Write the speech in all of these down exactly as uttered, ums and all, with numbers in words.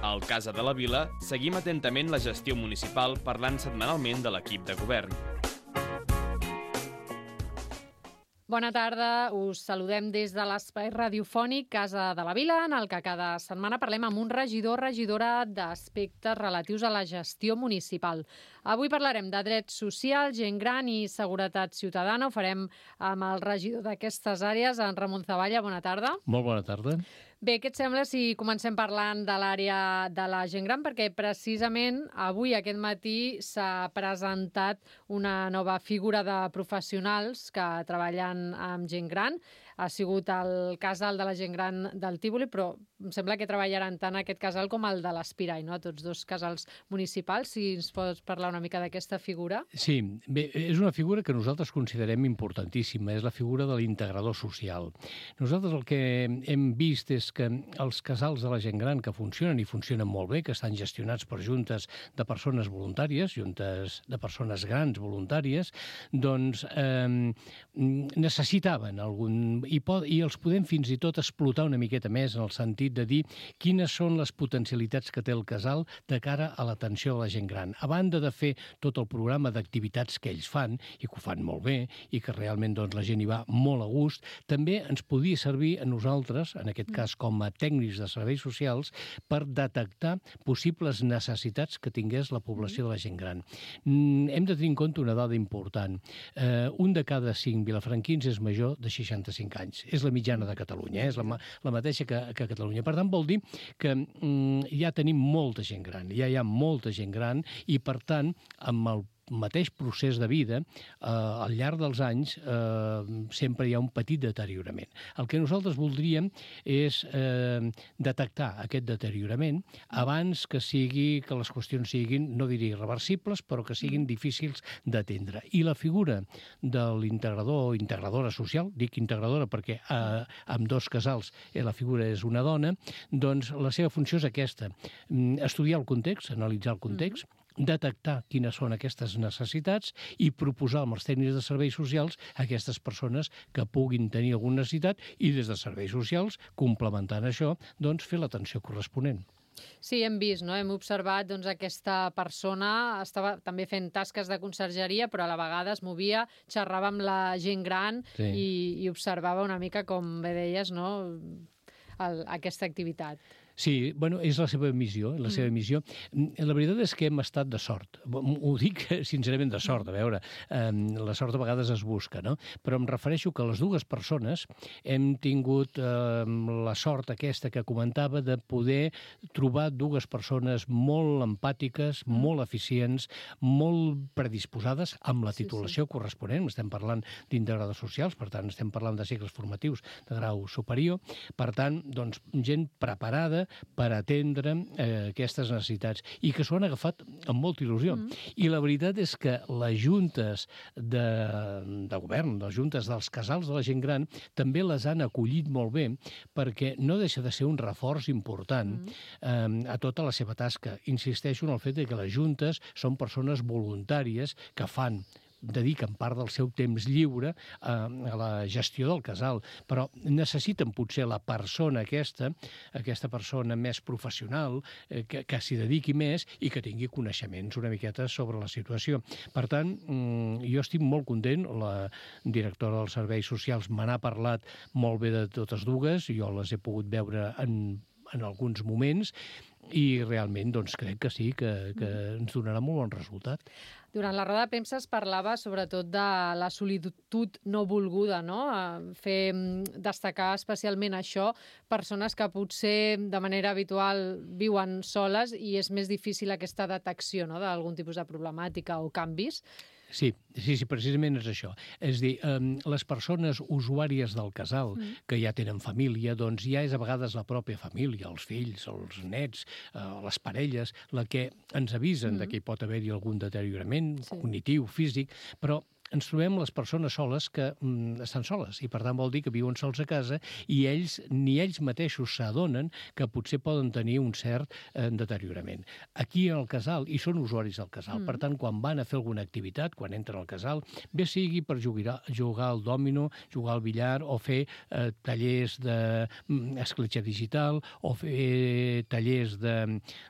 Al Casa de la Vila seguim atentament la gestió municipal parlant setmanalment de l'equip de govern. Bona tarda, us saludem des de l'espai radiofònic Casa de la Vila, en el que cada setmana parlem amb un regidor o regidora d'aspectes relatius a la gestió municipal. Avui parlarem de drets socials, gent gran i seguretat ciutadana. Ho farem amb el regidor d'aquestes àrees, en Ramon Zavalla. Bona tarda. Molt bona tarda. Bé, què et sembla si comencem parlant de l'àrea de la gent gran? Perquè precisament avui, aquest matí, s'ha presentat una nova figura de professionals que treballen amb gent gran. Ha sigut el casal de la gent gran del Tívoli, però em sembla que treballaran tant aquest casal com el de l'Espirai, no? Tots dos casals municipals. Si ens pots parlar una mica d'aquesta figura. Sí, bé, és una figura que nosaltres considerem importantíssima, és la figura de l'integrador social. Nosaltres el que hem vist és que els casals de la gent gran que funcionen i funcionen molt bé, que estan gestionats per juntes de persones voluntàries, juntes de persones grans voluntàries, doncs eh, necessitaven algun... I, pod, i els podem fins i tot explotar una miqueta més en el sentit de dir quines són les potencialitats que té el casal de cara a l'atenció a la gent gran. A banda de fer tot el programa d'activitats que ells fan, i que ho fan molt bé, i que realment doncs, la gent hi va molt a gust, també ens podia servir a nosaltres, en aquest cas com a tècnics de serveis socials, per detectar possibles necessitats que tingués la població de la gent gran. Hem de tenir en compte una dada important. Eh, un de cada cinc vilafranquins és major de seixanta-cinc anys. És la mitjana de Catalunya, eh? És la, la mateixa que, que a Catalunya. Per tant, vol dir que mm, ja tenim molta gent gran, ja hi ha molta gent gran i, per tant, amb el mateix procés de vida, eh, al llarg dels anys eh, sempre hi ha un petit deteriorament. El que nosaltres voldríem és eh, detectar aquest deteriorament abans que sigui que les qüestions siguin, no diria irreversibles, però que siguin difícils d'atendre. I la figura de l'integrador o integradora social, dic integradora perquè eh, amb dos casals eh, la figura és una dona, doncs la seva funció és aquesta, estudiar el context, analitzar el context, detectar quines són aquestes necessitats i proposar amb els tècnics de serveis socials a aquestes persones que puguin tenir alguna necessitat i des de serveis socials, complementant això, doncs fer l'atenció corresponent. Sí, hem vist, no? Hem observat doncs, aquesta persona estava també fent tasques de consergeria, però a la vegada es movia, xerrava amb la gent gran sí. i, i observava una mica, com bé deies, no? El, aquesta activitat. Sí, bueno, és la seva missió, la seva missió. La veritat és que hem estat de sort. Ho dic sincerament de sort, a veure, eh, la sort a vegades es busca, no? Però em refereixo que les dues persones hem tingut eh, la sort aquesta que comentava de poder trobar dues persones molt empàtiques, molt eficients, molt predisposades amb la titulació sí, sí. corresponent. Estem parlant d'integradors socials, per tant, estem parlant de cicles formatius de grau superior. Per tant, doncs, gent preparada per atendre eh, aquestes necessitats i que s'ho han agafat amb molta il·lusió. Mm. I la veritat és que les juntes de, de govern, les juntes dels casals de la gent gran, també les han acollit molt bé perquè no deixa de ser un reforç important mm. eh, a tota la seva tasca. Insisteixo en el fet de que les juntes són persones voluntàries que fan dediquen part del seu temps lliure a, a la gestió del casal, però necessiten potser la persona aquesta, aquesta persona més professional, eh, que, que s'hi dediqui més i que tingui coneixements una miqueta sobre la situació. Per tant, jo estic molt content, la directora dels serveis socials me n'ha parlat molt bé de totes dues, jo les he pogut veure en, en alguns moments, i realment doncs, crec que sí, que, que ens donarà molt bon resultat. Durant la roda de premsa es parlava sobretot de la solitud no volguda, no? Fer destacar especialment això, persones que potser de manera habitual viuen soles i és més difícil aquesta detecció, no?, d'algun tipus de problemàtica o canvis. Sí, sí, sí, precisament és això. És a dir, eh, les persones usuàries del casal, mm. que ja tenen família, doncs ja és a vegades la pròpia família, els fills, els nets, eh, les parelles, la que ens avisen mm. de que hi pot haver-hi algun deteriorament sí. cognitiu, físic, però ens trobem les persones soles que mm, estan soles i per tant vol dir que viuen sols a casa i ells ni ells mateixos s'adonen que potser poden tenir un cert eh, deteriorament. Aquí al casal, i són usuaris del casal, mm. per tant, quan van a fer alguna activitat, quan entren al casal, bé sigui per jugar, jugar al dòmino, jugar al billar o fer eh, tallers d'escletxa digital o fer tallers de,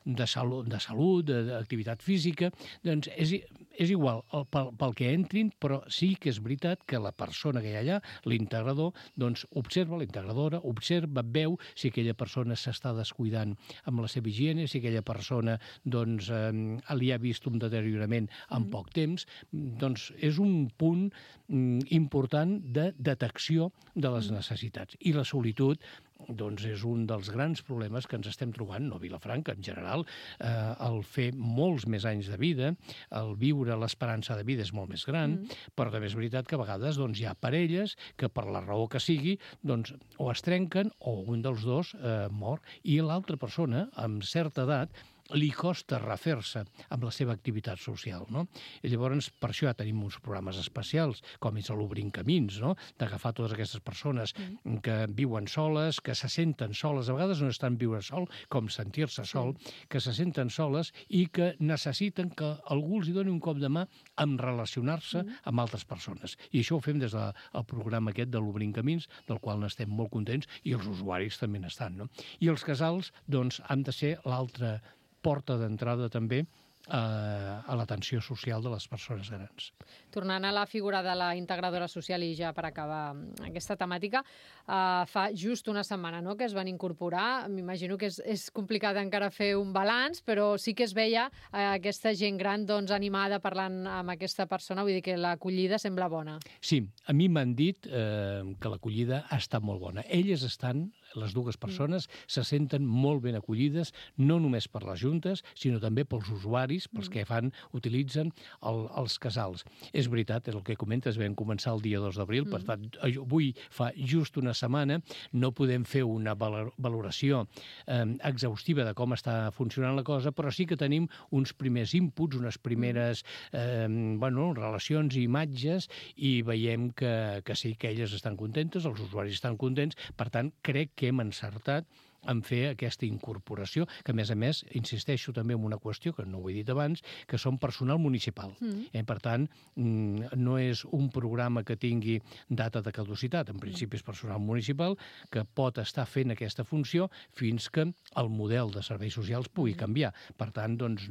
de, salut, de salut, d'activitat física, doncs és, és igual el, pel, pel que entrin, però sí que és veritat que la persona que hi ha allà, l'integrador, doncs observa, la integradora, observa, veu si aquella persona s'està descuidant amb la seva higiene, si aquella persona doncs, eh, li ha vist un deteriorament en mm. poc temps, doncs és un punt mm, important de detecció de les necessitats. I la solitud doncs és un dels grans problemes que ens estem trobant, no a Vilafranca, en general, eh, el fer molts més anys de vida, el viure l'esperança de vida és molt més gran, mm. però també és veritat que a vegades doncs, hi ha parelles que per la raó que sigui doncs, o es trenquen o un dels dos eh, mor i l'altra persona, amb certa edat, li costa refer-se amb la seva activitat social, no? I llavors, per això ja tenim uns programes especials, com és l'Obrint Camins, no? D'agafar totes aquestes persones mm. que viuen soles, que se senten soles, a vegades no estan viure sol, com sentir-se sol, sí. que se senten soles i que necessiten que algú els doni un cop de mà en relacionar-se mm. amb altres persones. I això ho fem des del programa aquest de l'Obrint Camins, del qual n'estem molt contents, i els usuaris també n'estan, no? I els casals, doncs, han de ser l'altra porta d'entrada també a l'atenció social de les persones grans. Tornant a la figura de la integradora social i ja per acabar aquesta temàtica, uh, fa just una setmana no, que es van incorporar. M'imagino que és, és complicat encara fer un balanç, però sí que es veia uh, aquesta gent gran doncs, animada parlant amb aquesta persona, vull dir que l'acollida sembla bona. Sí, a mi m'han dit eh, que l'acollida ha estat molt bona. Elles estan, les dues persones, mm. se senten molt ben acollides, no només per les juntes, sinó també pels usuaris, pels que fan, utilitzen el, els casals. És veritat, és el que comentes, vam començar el dia dos d'abril, mm. per tant, avui fa just una setmana, no podem fer una valoració eh, exhaustiva de com està funcionant la cosa, però sí que tenim uns primers inputs, unes primeres eh, bueno, relacions i imatges, i veiem que, que sí, que elles estan contentes, els usuaris estan contents, per tant, crec que hem encertat en fer aquesta incorporació, que a més a més, insisteixo també en una qüestió que no ho he dit abans, que són personal municipal. Mm. Eh, per tant, no és un programa que tingui data de caducitat, en principi és personal municipal que pot estar fent aquesta funció fins que el model de serveis socials pugui canviar. Per tant, doncs,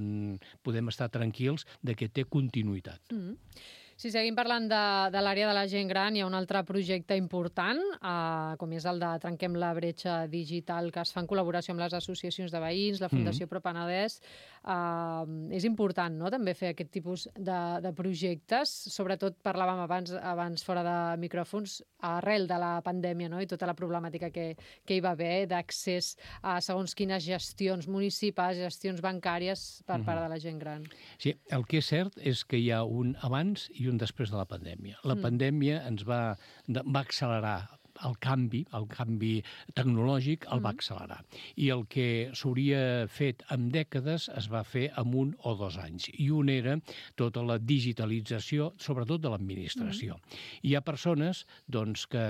podem estar tranquils de que té continuïtat. Mm. Si seguim parlant de, de l'àrea de la gent gran, hi ha un altre projecte important, eh, com és el de Trenquem la bretxa digital, que es fa en col·laboració amb les associacions de veïns, la Fundació mm. Pro Penedès. Eh, és important, no?, també fer aquest tipus de, de projectes. Sobretot parlàvem abans, abans fora de micròfons, arrel de la pandèmia, no?, i tota la problemàtica que, que hi va haver d'accés a segons quines gestions municipals, gestions bancàries per part de la gent gran. Sí, el que és cert és que hi ha un abans i un després de la pandèmia. La mm. pandèmia ens va, va accelerar el canvi, el canvi tecnològic el va accelerar. I el que s'hauria fet en dècades es va fer en un o dos anys. I un era tota la digitalització, sobretot de l'administració. Mm. Hi ha persones doncs, que,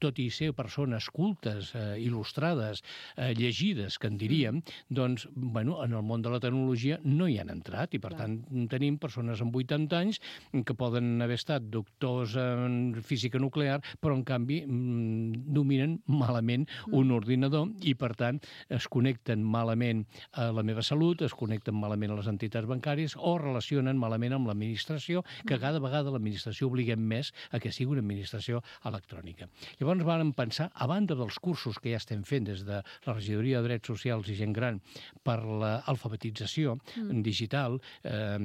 tot i ser persones cultes, eh, il·lustrades, eh, llegides, que en diríem, doncs, bueno, en el món de la tecnologia no hi han entrat i, per Clar. tant, tenim persones amb vuitanta anys que poden haver estat doctors en física nuclear, però, en canvi, dominen malament un ordinador i, per tant, es connecten malament a la meva salut, es connecten malament a les entitats bancàries o relacionen malament amb l'administració, que cada vegada l'administració obliguem més a que sigui una administració electrònica. Llavors vam pensar, a banda dels cursos que ja estem fent des de la Regidoria de Drets Socials i Gent Gran per l'alfabetització mm. digital, eh,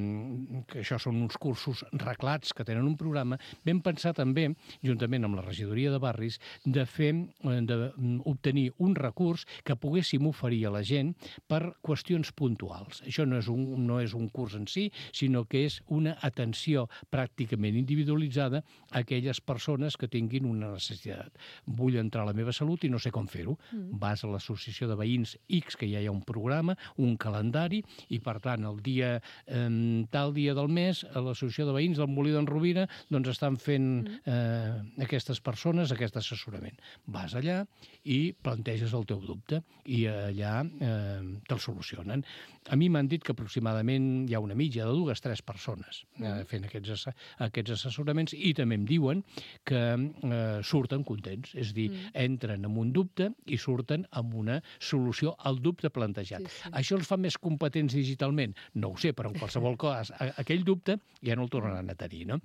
que això són uns cursos reglats que tenen un programa, vam pensar també, juntament amb la Regidoria de Barris, de fer, d'obtenir un recurs que poguéssim oferir a la gent per qüestions puntuals. Això no és un, no és un curs en si, sinó que és una atenció pràcticament individualitzada a aquelles persones que tinguin una necessitat, seguretat. Vull entrar a la meva salut i no sé com fer-ho. Mm. Vas a l'associació de veïns X, que ja hi ha un programa, un calendari, i per tant, el dia, eh, tal dia del mes, a l'associació de veïns del Molí d'en Rovira, doncs estan fent eh, aquestes persones aquest assessorament. Vas allà i planteges el teu dubte i allà eh, te'l solucionen. A mi m'han dit que aproximadament hi ha una mitja de dues, tres persones eh, fent aquests, aquests assessoraments i també em diuen que eh, surten contents, és a dir, mm. entren amb un dubte i surten amb una solució al dubte plantejat. Sí, sí. Això els fa més competents digitalment? No ho sé, però en qualsevol cas, aquell dubte ja no el tornaran a tenir, no?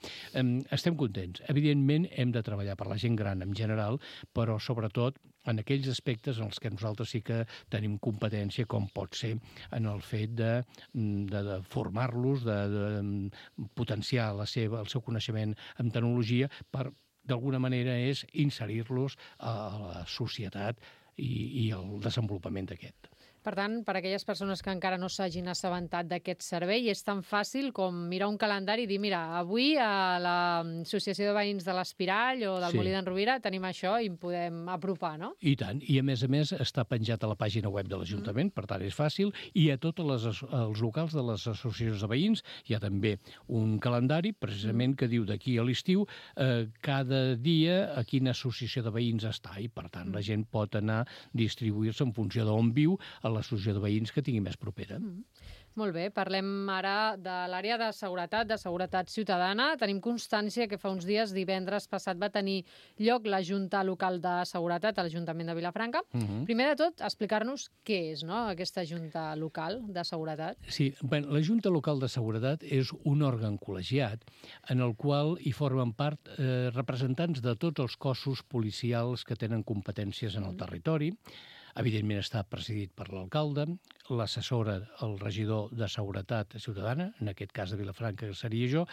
Estem contents. Evidentment, hem de treballar per la gent gran en general, però sobretot en aquells aspectes en els que nosaltres sí que tenim competència, com pot ser en el fet de, de, de formar-los, de, de potenciar la seva, el seu coneixement en tecnologia per, d'alguna manera, és inserir-los a la societat i, i el desenvolupament d'aquest. Per tant, per a aquelles persones que encara no s'hagin assabentat d'aquest servei, és tan fàcil com mirar un calendari i dir, mira, avui a l'Associació de Veïns de l'Espirall o del sí. Molí d'en Rovira tenim això i em podem apropar, no? I tant. I a més a més està penjat a la pàgina web de l'Ajuntament, mm. per tant és fàcil, i a tots els locals de les associacions de veïns hi ha també un calendari, precisament, mm. que diu d'aquí a l'estiu eh, cada dia a quina associació de veïns està, i per tant mm. la gent pot anar a distribuir-se en funció d'on viu a l'associació de veïns que tingui més propera. Mm. Molt bé, parlem ara de l'àrea de seguretat, de seguretat ciutadana. Tenim constància que fa uns dies, divendres passat, va tenir lloc la Junta Local de Seguretat a l'Ajuntament de Vilafranca. Uh-huh. Primer de tot, explicar-nos què és, no?, aquesta Junta Local de Seguretat. Sí, bé, la Junta Local de Seguretat és un òrgan col·legiat en el qual hi formen part eh, representants de tots els cossos policials que tenen competències en el territori. Evidentment està presidit per l'alcalde, l'assessora, el regidor de Seguretat Ciutadana, en aquest cas de Vilafranca, que seria jo,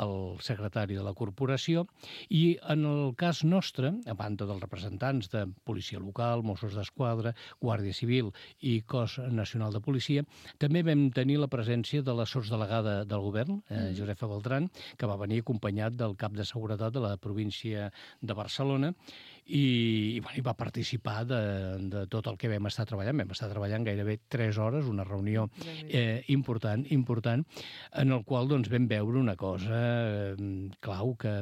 el secretari de la corporació, i en el cas nostre, a banda dels representants de Policia Local, Mossos d'Esquadra, Guàrdia Civil i Cos Nacional de Policia, també vam tenir la presència de la sotsdelegada del govern, eh, Josefa Beltrán, que va venir acompanyat del cap de seguretat de la província de Barcelona, i, i, bueno, i va participar de, de tot el que vam estar treballant. Vam estar treballant gairebé tres hores, una reunió eh, important, important, en el qual doncs, vam veure una cosa eh, clau, que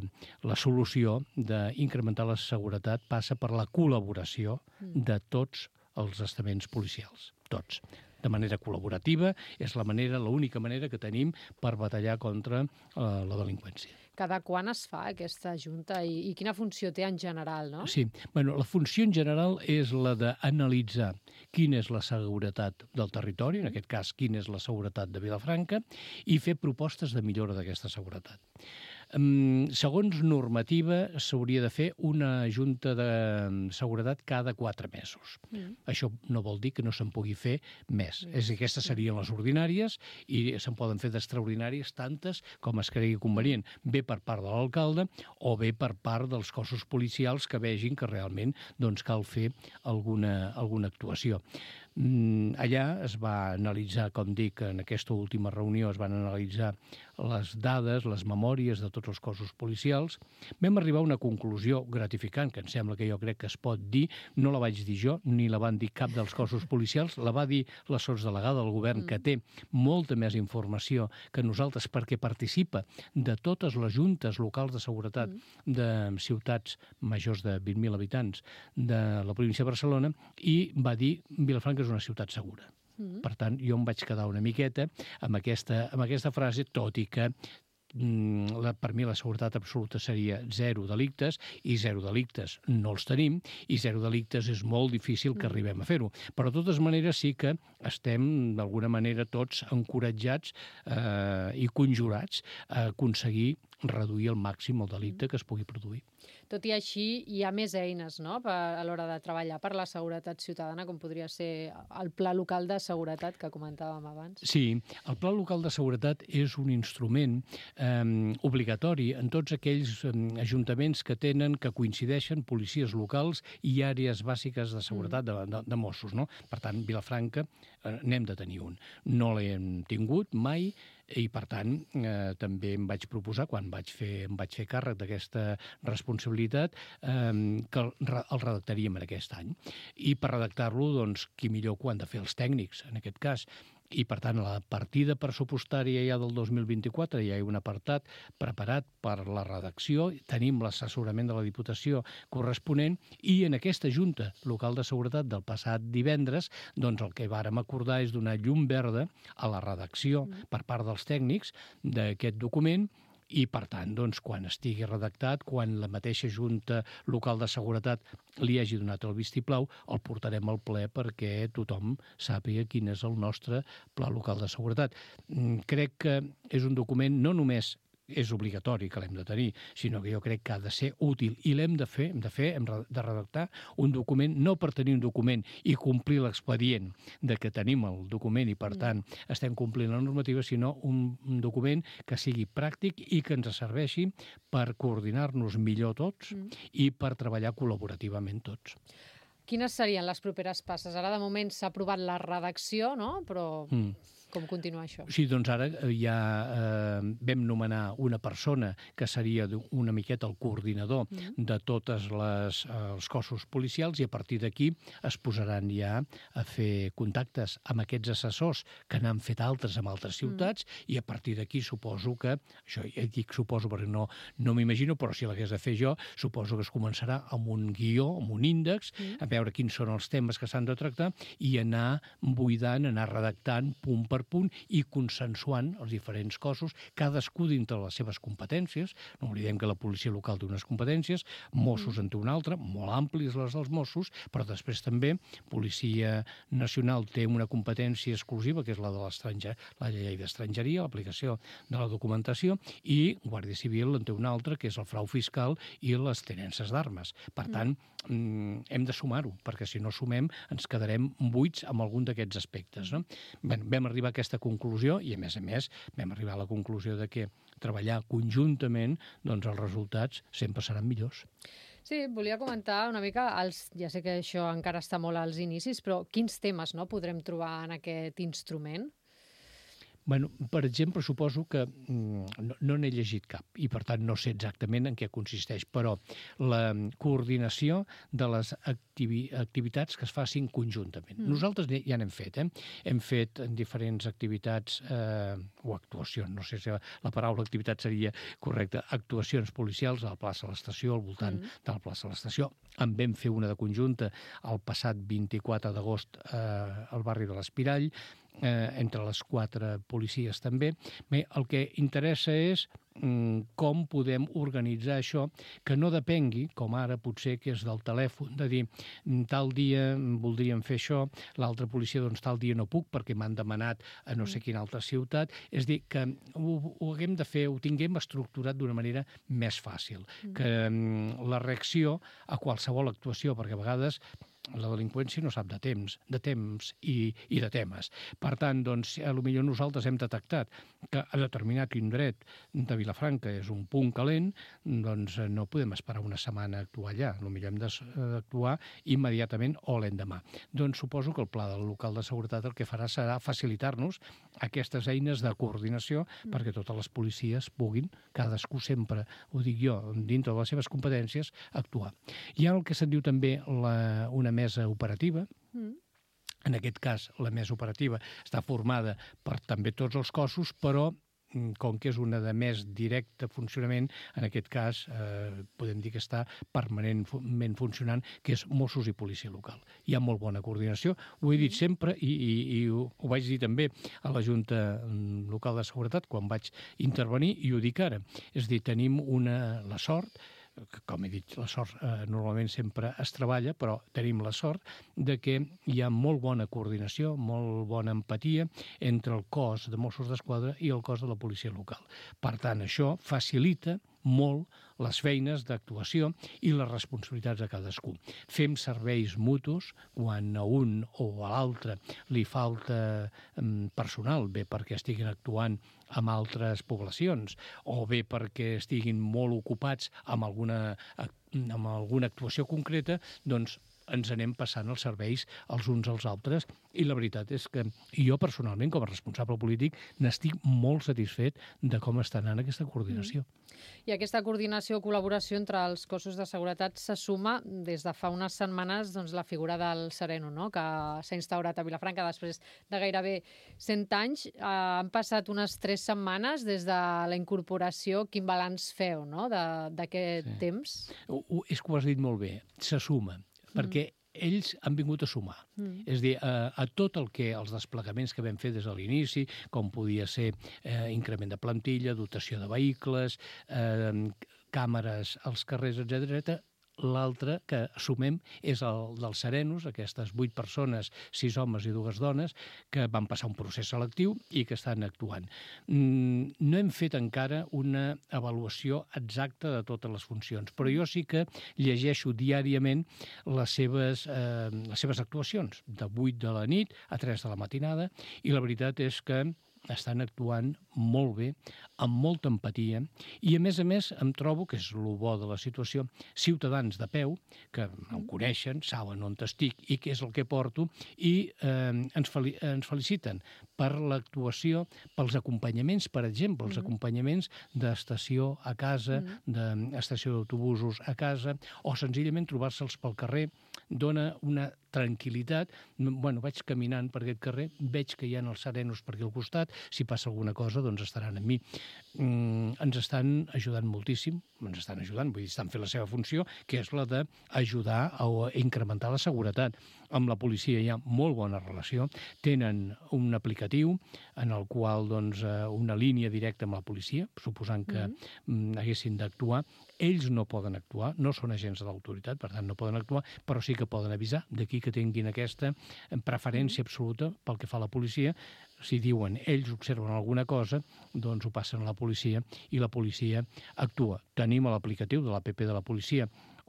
la solució d'incrementar la seguretat passa per la col·laboració de tots els estaments policials, tots. De manera col·laborativa, és la manera, l'única manera que tenim per batallar contra eh, la delinqüència. Cada quan es fa aquesta junta i, i quina funció té en general, no? Sí, bueno, la funció en general és la d'analitzar quina és la seguretat del territori, en aquest cas quina és la seguretat de Vilafranca, i fer propostes de millora d'aquesta seguretat. Um, segons normativa, s'hauria de fer una junta de seguretat cada quatre mesos. Mm. Això no vol dir que no se'n pugui fer més. Mm. És a dir, aquestes serien les ordinàries i se'n poden fer d'extraordinàries tantes com es cregui convenient, bé per part de l'alcalde o bé per part dels cossos policials que vegin que realment doncs, cal fer alguna, alguna actuació. Mm, allà es va analitzar, com dic, en aquesta última reunió es van analitzar les dades, les memòries de tots els cossos policials. Vam arribar a una conclusió gratificant, que em sembla que jo crec que es pot dir, no la vaig dir jo, ni la van dir cap dels cossos policials, la va dir la sotsdelegada del govern, que té molta més informació que nosaltres perquè participa de totes les juntes locals de seguretat de ciutats majors de vint mil habitants de la província de Barcelona, i va dir Vilafranca és una ciutat segura. Mm. Per tant, jo em vaig quedar una miqueta amb aquesta, amb aquesta frase, tot i que mm, la, per mi la seguretat absoluta seria zero delictes, i zero delictes no els tenim, i zero delictes és molt difícil que arribem a fer-ho. Però de totes maneres sí que estem d'alguna manera tots encoratjats eh, i conjurats a aconseguir reduir al màxim el delicte que es pugui produir. Tot i així, hi ha més eines, no?, per, a l'hora de treballar per la seguretat ciutadana, com podria ser el Pla Local de Seguretat que comentàvem abans. Sí, el Pla Local de Seguretat és un instrument eh, obligatori en tots aquells eh, ajuntaments que tenen, que coincideixen policies locals i àrees bàsiques de seguretat mm. de, de, de Mossos, no? Per tant, Vilafranca eh, n'hem de tenir un. No l'hem tingut mai, i, per tant, eh, també em vaig proposar, quan vaig fer, em vaig fer càrrec d'aquesta responsabilitat, possibilitat eh, que el, el redactaríem en aquest any. I per redactar-lo, doncs, qui millor que ho han de fer els tècnics, en aquest cas. I, per tant, la partida pressupostària ja del dos mil vint-i-quatre ja hi ha un apartat preparat per la redacció, tenim l'assessorament de la Diputació corresponent i en aquesta Junta Local de Seguretat del passat divendres, doncs el que vàrem acordar és donar llum verda a la redacció per part dels tècnics d'aquest document i, per tant, doncs, quan estigui redactat, quan la mateixa Junta Local de Seguretat li hagi donat el vistiplau, el portarem al ple perquè tothom sàpiga quin és el nostre Pla Local de Seguretat. Crec que és un document no només és obligatori que l'hem de tenir, sinó que jo crec que ha de ser útil i l'hem de fer, hem de fer, hem de redactar un document, no per tenir un document i complir l'expedient de que tenim el document i, per tant, estem complint la normativa, sinó un, un document que sigui pràctic i que ens serveixi per coordinar-nos millor tots mm. i per treballar col·laborativament tots. Quines serien les properes passes? Ara, de moment, s'ha aprovat la redacció, no? Però... Mm. Com continuar això? Sí, doncs ara ja eh, vam nomenar una persona que seria una miqueta el coordinador mm. de tots els eh, cossos policials i a partir d'aquí es posaran ja a fer contactes amb aquests assessors que n'han fet altres amb altres ciutats mm. i a partir d'aquí suposo que, això ja dic suposo perquè no, no m'imagino, però si l'hagués de fer jo, suposo que es començarà amb un guió, amb un índex, mm. a veure quins són els temes que s'han de tractar i anar buidant, anar redactant punt per punt i consensuant els diferents cossos, cadascú dintre les seves competències. No oblidem que la policia local té unes competències, Mossos en té una altra, molt àmplies les dels Mossos, però després també Policia Nacional té una competència exclusiva, que és la de l'estranger, la llei d'estrangeria, l'aplicació de la documentació, i Guàrdia Civil en té una altra, que és el frau fiscal i les tenences d'armes. Per tant, mm. hem de sumar-ho, perquè si no sumem ens quedarem buits amb algun d'aquests aspectes. No? Bé, vam arribar a aquesta conclusió i, a més a més, vam arribar a la conclusió de que treballar conjuntament, doncs els resultats sempre seran millors. Sí, volia comentar una mica, els, ja sé que això encara està molt als inicis, però quins temes no, podrem trobar en aquest instrument? Bueno, per exemple, suposo que mm, no, no n'he llegit cap i, per tant, no sé exactament en què consisteix, però la coordinació de les activi activitats que es facin conjuntament. Mm. Nosaltres ja n'hem fet, eh? Hem fet diferents activitats eh, o actuacions, no sé si la paraula activitat seria correcta, actuacions policials a la plaça de l'Estació, al voltant mm. de la plaça de l'Estació. En vam fer una de conjunta el passat vint-i-quatre d'agost eh, al barri de l'Espirall, eh, entre les quatre policies també. Bé, el que interessa és mm, com podem organitzar això, que no depengui, com ara potser que és del telèfon, de dir tal dia voldríem fer això, l'altra policia doncs tal dia no puc perquè m'han demanat a no sé quina altra ciutat. És dir, que ho, ho haguem de fer, ho tinguem estructurat d'una manera més fàcil, que mm, la reacció a qualsevol actuació, perquè a vegades la delinqüència no sap de temps, de temps i, i de temes. Per tant, doncs, potser nosaltres hem detectat que a determinat indret de Vilafranca és un punt calent, doncs no podem esperar una setmana a actuar allà. Potser hem d'actuar immediatament o l'endemà. Doncs suposo que el Pla del Local de Seguretat el que farà serà facilitar-nos aquestes eines de coordinació mm. perquè totes les policies puguin, cadascú sempre, ho dic jo, dintre de les seves competències, actuar. Hi ha el que se'n diu també la, una mesa operativa. Mm. En aquest cas, la mesa operativa està formada per també tots els cossos, però com que és una de més directe funcionament, en aquest cas eh, podem dir que està permanentment funcionant, que és Mossos i Policia Local. Hi ha molt bona coordinació, ho he dit sempre i, i, i ho, ho vaig dir també a la Junta Local de Seguretat quan vaig intervenir i ho dic ara. És a dir, tenim una, la sort, com he dit, la sort eh, normalment sempre es treballa, però tenim la sort de que hi ha molt bona coordinació, molt bona empatia entre el cos de Mossos d'Esquadra i el cos de la policia local. Per tant, això facilita molt les feines d'actuació i les responsabilitats de cadascú. Fem serveis mutus quan a un o a l'altre li falta personal, bé perquè estiguin actuant amb altres poblacions o bé perquè estiguin molt ocupats amb alguna, amb alguna actuació concreta, doncs ens anem passant els serveis els uns als altres, i la veritat és que jo personalment, com a responsable polític, n'estic molt satisfet de com està anant aquesta coordinació. Mm. I aquesta coordinació o col·laboració entre els cossos de seguretat se suma des de fa unes setmanes doncs, la figura del Sereno, no? Que s'ha instaurat a Vilafranca després de gairebé cent anys. Eh, han passat unes tres setmanes des de la incorporació. Quin balanç feu, no?, d'aquest sí. temps? Ho, ho, és que ho has dit molt bé, se suma, mm. perquè ells han vingut a sumar. Mm. És a dir, a, a tot el que els desplegaments que vam fer des de l'inici, com podia ser eh, increment de plantilla, dotació de vehicles, eh, càmeres als carrers, etcètera, etcètera. L'altre que assumem és el dels Serenos, aquestes vuit persones, sis homes i dues dones, que van passar un procés selectiu i que estan actuant. Mm, no hem fet encara una avaluació exacta de totes les funcions, però jo sí que llegeixo diàriament les seves, eh, les seves actuacions, de vuit de la nit a tres de la matinada, i la veritat és que estan actuant molt bé, amb molta empatia, i a més a més em trobo, que és el bo de la situació, ciutadans de peu, que em coneixen, saben on estic i què és el que porto, i eh, ens, fel ens feliciten per l'actuació, pels acompanyaments, per exemple, els acompanyaments d'estació a casa, d'estació d'autobusos a casa, o senzillament trobar-se'ls pel carrer, dona una tranquil·litat. Bueno, vaig caminant per aquest carrer, veig que hi ha els Serenos per aquí al costat, si passa alguna cosa, doncs estaran amb mi. Mm, ens estan ajudant moltíssim, ens estan ajudant, vull dir, estan fent la seva funció, que és la d'ajudar a incrementar la seguretat. Amb la policia hi ha molt bona relació, tenen un aplicatiu en el qual, doncs, una línia directa amb la policia, suposant que mm. haguessin d'actuar. Ells no poden actuar, no són agents de l'autoritat, per tant no poden actuar, però sí que poden avisar, d'aquí que tinguin aquesta preferència absoluta pel que fa a la policia. Si diuen, ells observen alguna cosa, doncs ho passen a la policia i la policia actua. Tenim a l'aplicatiu de l'App de la policia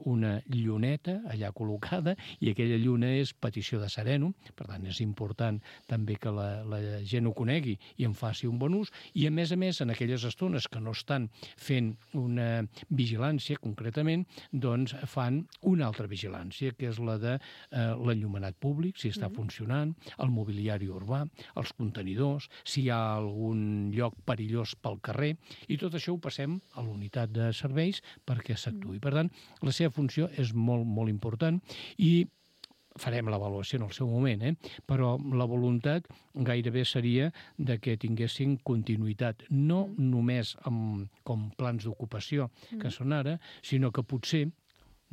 una lluneta allà col·locada, i aquella lluna és petició de Sereno, per tant és important també que la, la gent ho conegui i en faci un bon ús, i a més a més en aquelles estones que no estan fent una vigilància concretament, doncs fan una altra vigilància, que és la de eh, l'enllumenat públic, si està mm. funcionant, el mobiliari urbà, els contenidors, si hi ha algun lloc perillós pel carrer, i tot això ho passem a la unitat de serveis perquè s'actuï. Per tant, la seva funció és molt, molt important, i farem l'avaluació en el seu moment, eh? Però la voluntat gairebé seria de que tinguessin continuïtat, no mm. només amb, com plans d'ocupació mm. que són ara, sinó que potser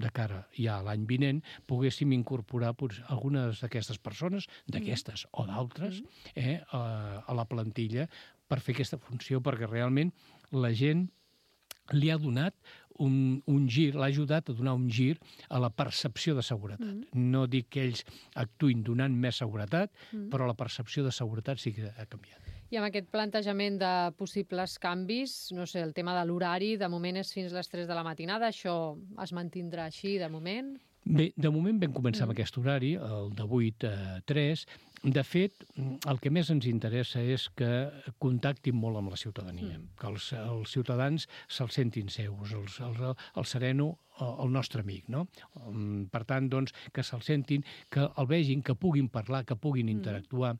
de cara ja a l'any vinent, poguéssim incorporar potser, algunes d'aquestes persones, d'aquestes mm. o d'altres, eh, a, a la plantilla per fer aquesta funció, perquè realment la gent li ha donat un, un gir, l'ha ajudat a donar un gir a la percepció de seguretat. Mm. No dic que ells actuïn donant més seguretat, mm. però la percepció de seguretat sí que ha canviat. I amb aquest plantejament de possibles canvis, no sé, el tema de l'horari, de moment és fins les tres de la matinada, això es mantindrà així de moment? Bé, de moment vam començar mm. amb aquest horari, el de vuit a tres. De fet, el que més ens interessa és que contactin molt amb la ciutadania, mm. que els, els ciutadans se'ls sentin seus, els, els, el Sereno, el nostre amic, no? Per tant, doncs, que se'l sentin, que el vegin, que puguin parlar, que puguin interactuar.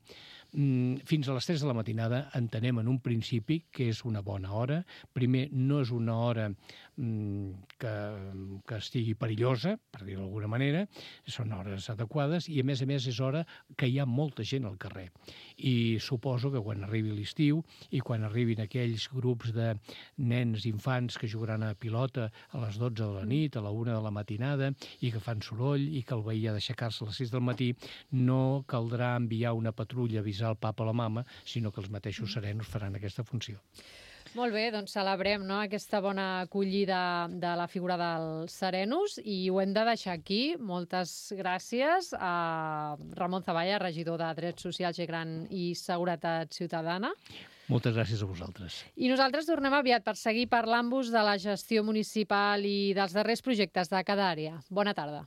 Mm. Fins a les tres de la matinada entenem en un principi que és una bona hora. Primer, no és una hora mm, que, que estigui perillosa, per dir-ho d'alguna manera, són hores adequades, i a més a més és hora que hi ha molta gent al carrer. I suposo que quan arribi l'estiu i quan arribin aquells grups de nens, infants que jugaran a pilota a les dotze de la nit, a la una de la matinada, i que fan soroll i que el veí ha d'aixecar-se a les sis del matí, no caldrà enviar una patrulla a avisar el papa o la mama, sinó que els mateixos Serenos faran aquesta funció. Molt bé, doncs celebrem, no?, aquesta bona acollida de la figura dels Serenos, i ho hem de deixar aquí. Moltes gràcies a Ramon Zavalla, regidor de Drets Socials, Gent Gran i Seguretat Ciutadana. Moltes gràcies a vosaltres. I nosaltres tornem aviat per seguir parlant-vos de la gestió municipal i dels darrers projectes de cada àrea. Bona tarda.